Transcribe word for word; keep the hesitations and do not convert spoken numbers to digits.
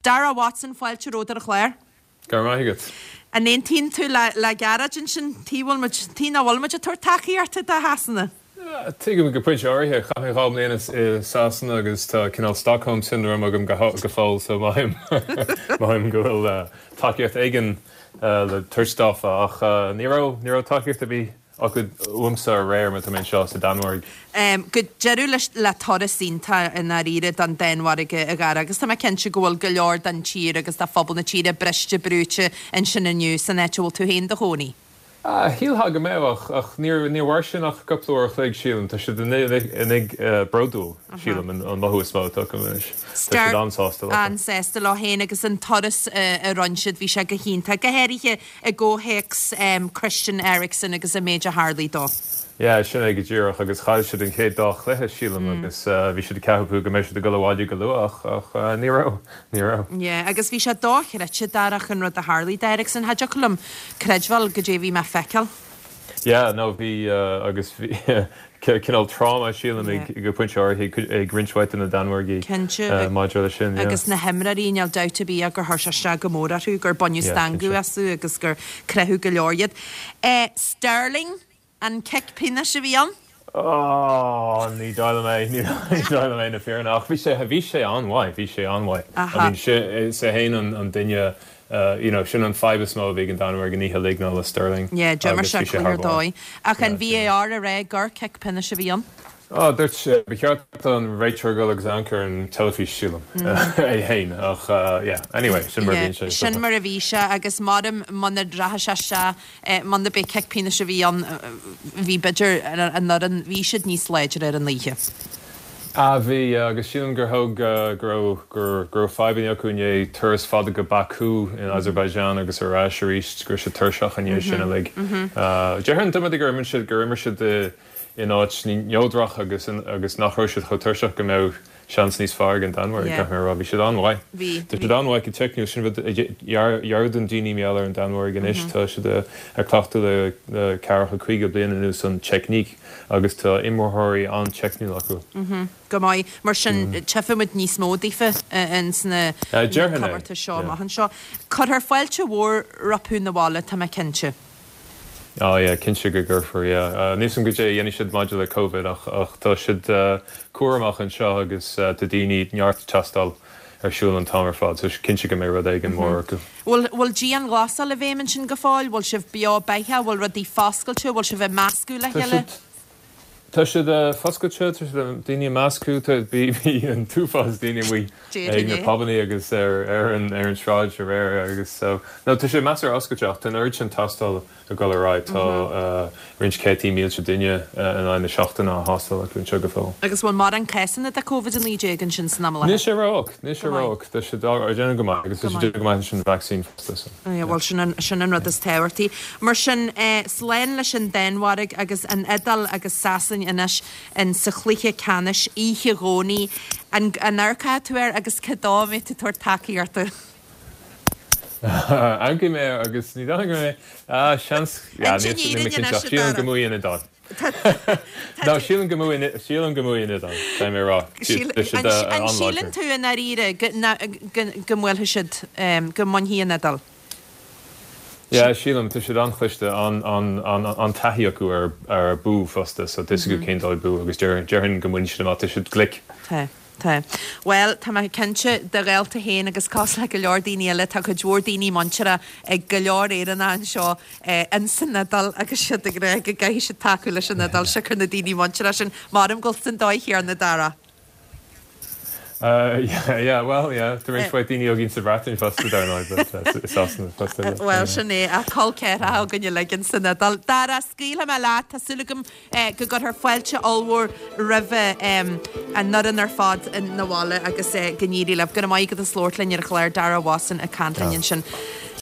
Dara Watson fáilte romhat ar an chlár. Go raibh maith agat. An aontaíonn tú le le Gearóid ansin? Tuige bhfuil muid, tuige nach bhfuil muid ag tabhairt tacaíochta do Shasana? Tuigim go pointe áirithe. Chaith mé dhá mbliana i Sasana agus tá cineál Stockholm syndrome agam go go fóill so mothaím mothaím go bhfuil tacaíocht éigin le tabhairt daofa ach ní raibh ní raibh tacaíocht ar bith acu uaimsa aréir mar tá mé anseo sa Danmhairg. Go deireadh leis le turas iontach i ndáiríre don Danmhairg a Dhara agus tá mé cinnte go bhfuil go leor den tír agus de phobal na tíre briste brúite ansin inniu san áit a bhfuil tú féin do chónaí. Shílfeá go mbeadh ach ach níor níor mhair sin ach cúpla uair a chloig sílim. Tá siad uilig bródúil sílim an mothú is mó atá acu anois. Tá siad an-sásta leo. An-sásta leo féin agus an turas a rinne siad bhí sé go hiontach, go háirithe i gcomhthéacs Christian Eriksen agus an méid a tharlaigh dó. Yeah, sin é go díreach agus chaill siad an chéad dá chluiche sílim agus bhí siad ag ceapadh go mbeidh siad ag dul abhaile go luath ach ach ní raibh, ní raibh. Yeah, agus bhí sé dochreidte Dara an rud a tharlaigh d'Eriksen. Cha dtiocfadh liom creidbheáil goidé a bhí mé a feiceáil. Yeah, no bhí agus bhí cineál tráma sílim ag go pointe áirithe ag roinnt mhaith de na Danmhairgigh maidir leis sin, yeah. Agus na himreoirí, níl dabht ar bith gur chuir sé isteach go mór orthu, gur baineadh stangadh astu agus gur croitheadh go leor iad. Sterling? An cic pionóis a bhí ann? Ó, ní dóigh liom é, ní dóigh liom é na fírinne, ach bhí sé, bhí sé an-mhaith, bhí sé an-mhaith. I mean, is é féin an, an duine, you know, sin an fadhb is mó a bhí ag an Danmhairg an oíche uilig ná le Sterling. Yeah, d'imir sé cluiche ar dóigh. Ach an VAR ag rá gur cic pionóis a bhí ann? Á, dúirt sé, ba cheart don réiteoir dul agus amharc ar an teilifís, sílim, é féin, ach yeah, anyway, sin mar a bhíonn sé. Sin mar a bhí sé agus maram muna rachaidh sé isteach, muna b'é cic pionóis a bhí ann, bhí b'fhéidir an fhoireann, bhí siad níos láidre ar an oíche. Ah, bhí, agus sílim gur thóg, go raibh, go raibh fadhbanna acu i ndiaidh turas fada go Baku in Azerbaijan agus ar ais arís, go raibh siad tuirseach i ndiaidh sin uilig. Déarfainn gur imir siad, gur imir siad i, in áit neodrach agus agus nach raibh siad chomh tuirseach go mbeadh seans níos fearr ag an Danmhairg, caithfidh mé a rá. Bhí siad an-mhaith. Bhí. Tá siad an-mhaith go teicniúil. Sin rud a dhearúdann daoine mar gheall ar an Danmhairg anois. Tá siad ag cleachtadh le le ceathracha caoga bliain anuas an teicníc agus tá imreoirí an-teicniúil acu. Go maith. Mar sin tchífimid níos mó daofa ins na comórtais seo amach anseo. Cuirfear fáilte mhór rompu 'na bhaile, tá mé cinnte. Ah yeah, cinnte go gcuirfear, yeah. Níl 'fhios a'm goidé a dhéanfaidh siad maidir le Covid ach ach tá siad cúramach anseo agus tá daoine neart tástáil ar siúl an t-am ar fad so cinnte go mbeidh rud éigin mór acu. Bhfuil bhfuil dianghlasáil i bhfeidhm ansin go fóill? Bhfuil sibh beo beathach? Bhfuil rudaí foscailte? Bhfuil sibh ag meascadh le Tá chéile? siad Tá siad foscailte, tá siad daoine ag meascadh, tá bhí an t-uafás daoine amuigh ag na pubannaí agus ar ar an ar an sráid aréir agus so no tá sé measartha oscailte ach tá an oiread sin tástáil ag dul ar aghaidh, tá roinnt céadtaí mílte duine in aghaidh na seachtaine á thástáil acu anseo go fóill. Agus bhfuil mórán cásanna de Covid a naoi déag ansin san am i láthair? Níl sé ró-olc, níl sé ró-olc, tá siad ag déanamh go maith agus tá siad ag déanamh go maith leis an vacsaín fosta so. Bhuel, sin an, sin an rud is tábhachtaí. Mar sin, slán leis an Danmhairg agus an Iodáil agus Sasain anois in sa chluiche ceannais oíche Dhomhnaigh. An, an amharcfaidh tú air agus cé dó a mbeidh tú ag tabhairt tacaíochta? Amharcfaidh mé air agus ní dóigh go mbeidh, ah, seans, yeah, Inse níl, níl mé an fhírinne cinnte anois, ach a sílim Dara. go mbuafaidh an Iodáil. No, sílim go mbuafaidh, sílim go mbuafaidh an Iodáil, caithfidh mé a rá. Síl, Tá siad an, an an-láidir. síleann tú i ndáiríre go, na, go, go mbuailfidh siad, go mbainfidh an Iodáil? Yeah, sílim, tá siad an-chliste, an-taithí acu ar ar bua fosta, so tá 'fhios acu cén dóigh bua agus déarfainn go mbainfidh siad amach, tá siad glic. Tá, tá. Bhuel, tá mé cinnte, do ghaolta féin agus cosúil le go leor daoine eile, tá cuid mhór daoine muinteartha ag go leor Éireannach anseo in san Iodáil agus siad ag rá go gcaithfidh siad tacú leis an Iodáil siocair na daoine muinteartha sin. Maram go bhfuil san dóigh chéanna, Dara. Yeah, yeah, well, yeah, tá roinnt mhaith daoine againn sa Bhreatain fosta, dar ndóigh, but i Sasana fosta, yeah. Bhuel, sin é, ach col ceathracha againn uilig in san Iodáil. Dara, scaoilfidh mé leat, tá súil agam go gcuirfear fáilte ollmhór roimh an fhoireann ar fad 'na bhaile agus go n-éirí libh. Go raibh maith agat as labhairt linn ar an chlár, Dara Watson ag caint linn ansin.